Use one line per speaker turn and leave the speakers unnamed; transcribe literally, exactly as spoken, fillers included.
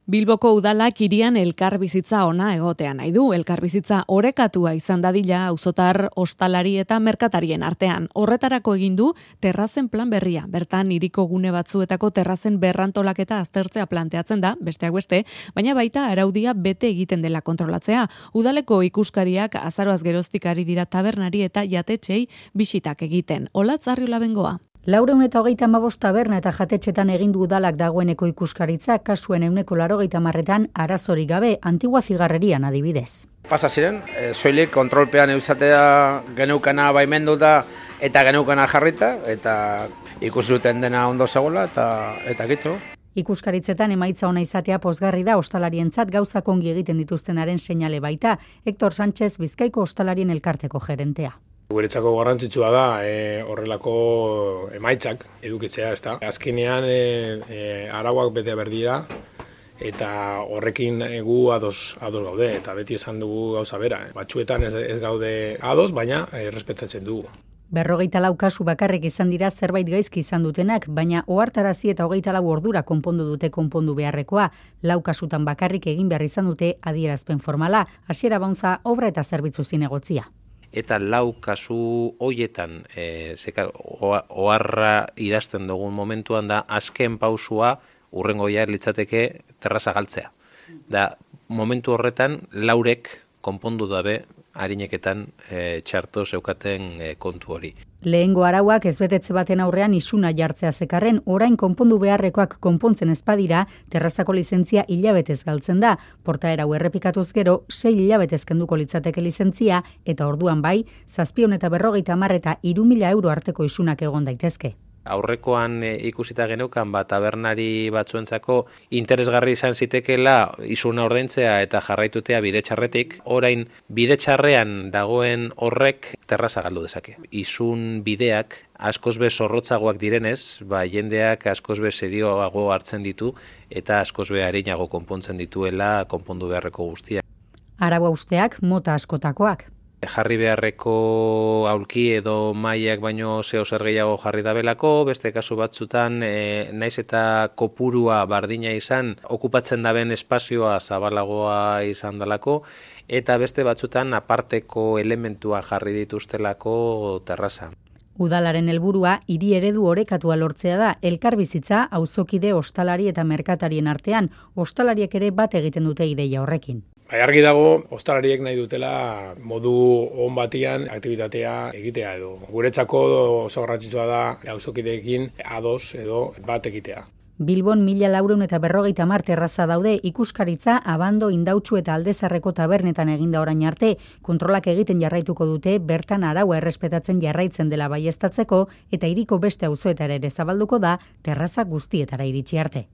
Bilboko udalak hirian elkarbizitza ona egotea nahi du. Elkarbizitza orekatua izan dadila auzotar, ostalari eta merkatarien artean. Horretarako egin du terrazen plan berria. Bertan hiriko gune batzuetako terrazen berrantolaketa aztertzea planteatzen da, besteak beste, baina baita araudia bete egiten dela kontrolatzea. Udaleko ikuskariak azaroaz geroztik ari dira tabernari eta jatetxei bisitak egiten. Olatz Arriola Bengoa.
Laurehun eta hogeita hamabost taberna eta jatetxetan egin du udalak dagoeneko ikuskaritza, kasuen ehuneko laurogeita hamarretan arazorik gabe, Antigua Zigarrerian adibidez.
Pasa ziren, e, soilik kontrolpean eusatea geneukana baimenduta eta geneukana jarrita, eta ikusi duten dena ondo zegoela eta eta gitzo.
Ikuskaritzetan emaitza ona izatea pozgarri da ostalarientzat gauzak ongi egiten dituztenaren seinale baita, Hector Sánchez Bizkaiko Ostalarien Elkarteko gerentea.
Guretzako garrantzitsua da e, horrelako emaitzak edukitzea, ezta. Azkenean e, e, arauak bete berdira eta horrekin gu ados, ados gaude eta beti esan dugu gauza bera. Batzuetan ez, ez gaude ados, baina e, respetatzen dugu.
Berrogeita lau kasu bakarrik izan dira zerbait gaizki izan dutenak, baina ohartarazi eta hogeita lau ordura konpondu dute konpondu beharrekoa. Lau kasutan bakarrik egin behar izan dute adierazpen formala, Hasiera Bauntza obra eta zerbitzu zinegotzia.
Eta lau kasu hoietan e, zeka, oharra idazten dugun momentuan da azken pausua urrengoia litzateke terraza galtzea. Da momentu horretan laurek konpondu dabe arineketan e, txarto zeukaten e, kontu hori.
Lehengo arauak ezbetetze baten aurrean isuna jartzea zekarren, orain konpondu beharrekoak konpontzen ezpadira, terrazako lizentzia hilabetez galtzen da. Portaera hau errepikatuz gero, sei hilabetez kenduko litzateke lizentzia, eta orduan bai, zazpion eta berrogeita hamar eta hiru mila euro arteko isunak egon daitezke.
Aurrekoan e, ikusita geneukan ba, tabernari batzuentzako interesgarri izan zitekela isuna ordaintzea eta jarraitutea bide txarretik. Orain bide txarrean dagoen horrek terraza galdu dezake. Isun bideak askoz be zorrotzagoak direnez, ba, jendeak askoz be serioago hartzen ditu eta askoz be arinago konpontzen dituela konpondu beharreko guztia.
Arau hausteak mota askotakoak.
Jarri beharreko aulki edo mailak baino zeo zer gehiago jarri dabelako, beste kasu batzutan e, naiz eta kopurua bardina izan, okupatzen daben espazioa zabalagoa izan dalako, eta beste batzutan aparteko elementua jarri dituztelako terraza.
Udalaren helburua hiri eredu orekatua lortzea da, elkarbizitza auzokide, ostalari eta merkatarien artean, ostalariek ere bat egiten dute ideia horrekin.
Bai, argi dago, ostalariek nahi dutela modu on batian aktibitatea egitea edo. Guretzako oso garrantzitsua da auzokideekin ados edo bat egitea.
Bilbon mila laurehun eta berrogeita hamar terraza daude, ikuskaritza, abando, indautxu eta aldezarreko tabernetan eginda orain arte, kontrolak egiten jarraituko dute, bertan araua errespetatzen jarraitzen dela baieztatzeko eta hiriko beste auzoetara ere zabalduko da terraza guztietara iritsi arte.